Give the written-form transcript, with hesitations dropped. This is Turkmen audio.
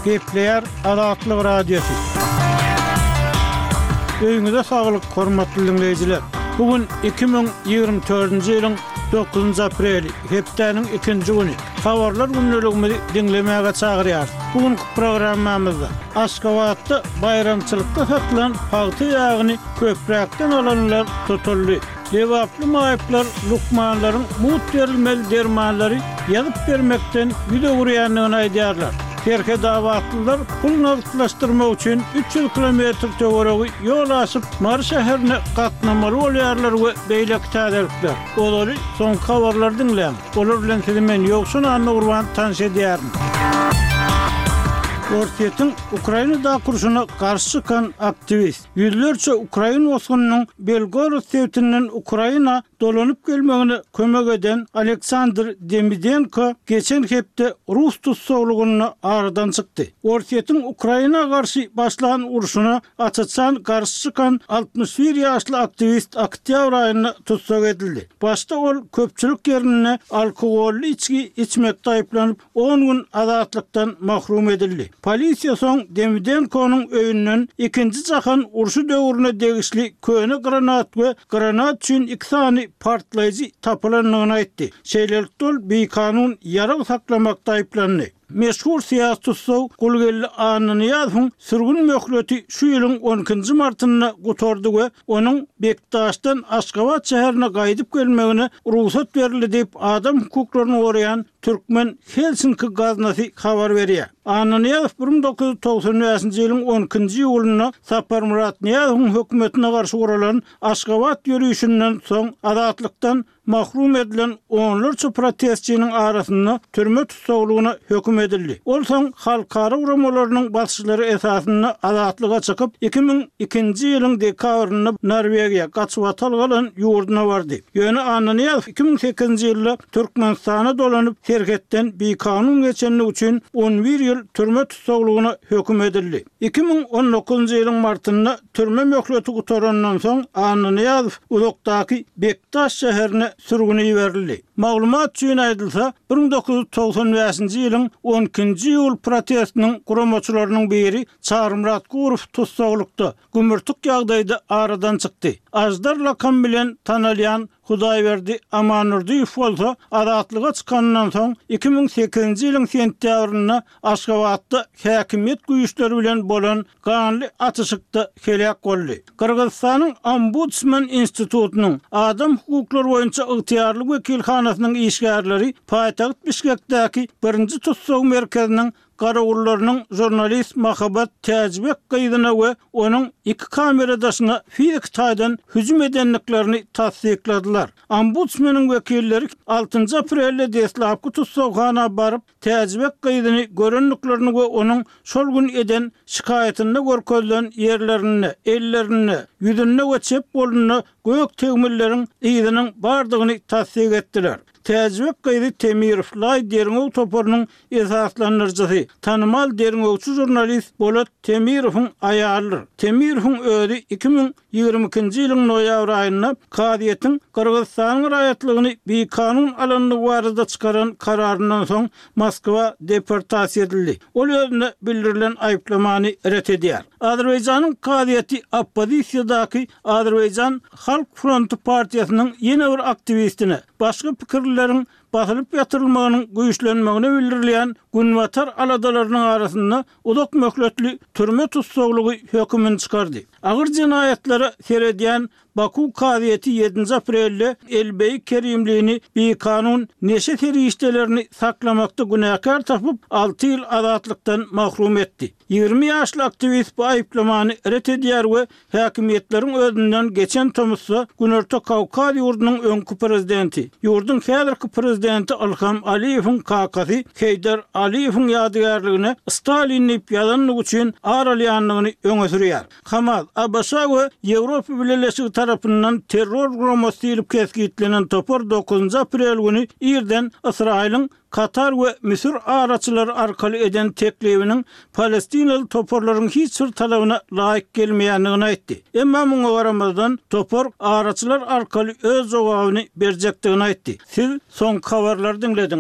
Gepleýär Azatlyk Radiosy. Öýüňize saglyk, hormatly diňleýjiler! Bu gün 2024-nji ýylyň dokuzynjy apreli, hepdäniň ikinji güni. Habarlar gündeligimizi diňlemäge çagyrýarys. Bu günki programmamyzda Aşgabatda baýramçylykda satylan pagta ýagyny köpräkden alanlar tutuldy. Lebaply maýyplar lukmanlaryň mugt berilmeli dermanlary ýazyp bermekden ýüz öwürýändigini aýdýarlar. Serhetabatlylar pul nagtlaşdyrmak üçin 300 kilometr töweregi ýol aşyp, Mary şäherine gatnamaly bolýarlar we beýleki täzelikler. Ozaly soňky habarlary diňläň. Olar bilen sizi men Ýowşan Annagurban tanyş edýärin. Orsýetiň Ukrainadaky urşuna garşy çykan aktiwist. Ýüzlerçe ukrain bosgunynyň Belgorod sebitinden Ukraina dolanyp gelmegine kömek eden Aleksandr Demidenko geçen hepde rus tussaglygynda aradan çykdy. Orsýetiň Ukraina garşy başlan urşuna aç-açan garşy çykan 61 ýaşly aktiwist oktýabr aýynda tussag edildi. Başda ol köpçülik ýerinde alkogolly içgi içmekde aýyplanyp, on gün azatlykdan mahrum edildi. Polisiýa soň Demidenkonyň öýünden Ikinji jahan urşy döwrüne degişli köne granat we granat üçin iki sany partlaýjy tapylandygyny aýtdy. Şeýlelikde ol bikanun ýarag saklamakda aýyplandy. Meşhur syýasy tussag Gulgeldi Annanyýazowyň sürgün möhleti şu ýylyň on ikinji martynda gutardy we onuň Bekdaşdan Aşgabat şäherine gaýdyp gelmegine rugsat berildi diýip, adam hukuklaryny goraýan Türkmen Helsinki gaznasy habar berýär. Annanyýazow 1995-nji ýylyň on ikinji iýulynda Saparmyrat Nyýazowyň hökümetine garşy guralan Aşgabat ýörişinden soň azatlykdan mahrum edilen onlarça protestçiniň arasynda türme tussaglygyna höküm edildi. Ol soň halkara guramalarynyň basyşlary esasynda azatlyga çykyp, 2002-nji ýylyň dekabrynda Norwegiýa, gaçybatalga alan ýurduna bardy. Ýöne Annanyýazow 2008-nji ýylda Türkmenistana dolanyp, serhetden bikanun geçenligi üçin on bir ýyl türme tussaglygyna höküm edildi. 2019-njy ýylyň martynda türme möhleti gutarandan soň Annanyýazow uzakdaky Bekdaş şäherine sürgüne iberildi. Maglumat üçin aýdylsa, 1995-nji ýylyň on ikinji iýul protestiniň guramaçylarynyň biri Çarymyrat Gurow tussaglykda, gümürtik ýagdaýda aradan çykdy. Aždar lakamy bilen tanalýan Hudaýberdi Amandurdyýew bolsa azatlyga çykanyndan soň 2008-nji ýylyň sentýabrynda Aşgabatda häkimiýet güýçleri bilen bolan ganly atyşykda heläk boldy. Gyrgyzystanyň Ombudsman institutynyň Adam hukuklary boýunça ygtyýarly wekilhanasynyň işgärleri paýtagt Bişkekdäki birinji tussag merkeziniň garawullarynyň žurnalist Mahabat Täjibek gyzyna we onuň iki kameradaşyna fiziki taýdan hüjüm edendiklerini tassykladylar. Ombudsmeniň wekilleri altynjy aprelde deslapky tussaghana baryp, Täjibek gyzyny görendiklerini we onuň şol gün eden şikaýatynda görkezilen ýerlerinde, ellerinde, ýüzünde we çep golunda gök tegmilleriň yzynyň bardygyny tassyk etdiler. Täjibek gyzy Temirow Laý derňew toparynyň esaslandyryjysy, tanymal derňewçi žurnalist Bolat Temirowyň aýalydyr. Temirowyň özi 2022-nji ýylyň noýabr aýynda kazyýetiň Gyrgyzystanyň raýatlygyny bikanun alandygy barada çykaran kararyndan soň Moskwa deportasiýa edildi. Ol özüne bildirilen aýyplamany ret edýär. Azerbaýjanyň kazyýeti oppozisiýadaky Azerbaýjan Halk fronty partiýasynyň ýene bir aktiwistine, başga pikirlileriň basylyp ýatyrylmagynyň güýçlenmegine bildirilýän Günbatar aladalarynyň arasynda uzak möhletli türme tussaglygy hökümini çykardy. Agyr jenaýatlara seredýän Baku kazyýeti ýedinji aprelde Elbeý Kerimlini bikanun neşe serişdelerini saklamakda günäkär tapyp, alty ýyl azatlykdan mahrum etdi. 20 ýaşly aktiwist bu aýyplamany ret edýär we Häkimiýetleriň özünden geçen tomusda Günorta Kawkaz ýurdunyň öňki prezidenti, ýurduň häzirki prezidenti Ylham Aliýewiň kakasy Heýdar Aliýewiň ýadygärligine Stalin diýip ýazandygy üçin ar alýandygyny öňe sürýär. Hamas, ABŞ we Ýewropa Bileleşigi tarapyndan terror guramasy diýlip kesgitlenen topar dokuzynjy aprel güni irden Ysraýylyň Katar we Müsür araçylary arkaly eden teklibiniň palestinaly toparlaryň hiç bir talabyna laýyk gelmeýändigini aýtdy. Emma muňa garamazdan, topar araçylar arkaly öz jogabyny berjekdigini aýtdy. Siz soňky habarlary diňlediňiz.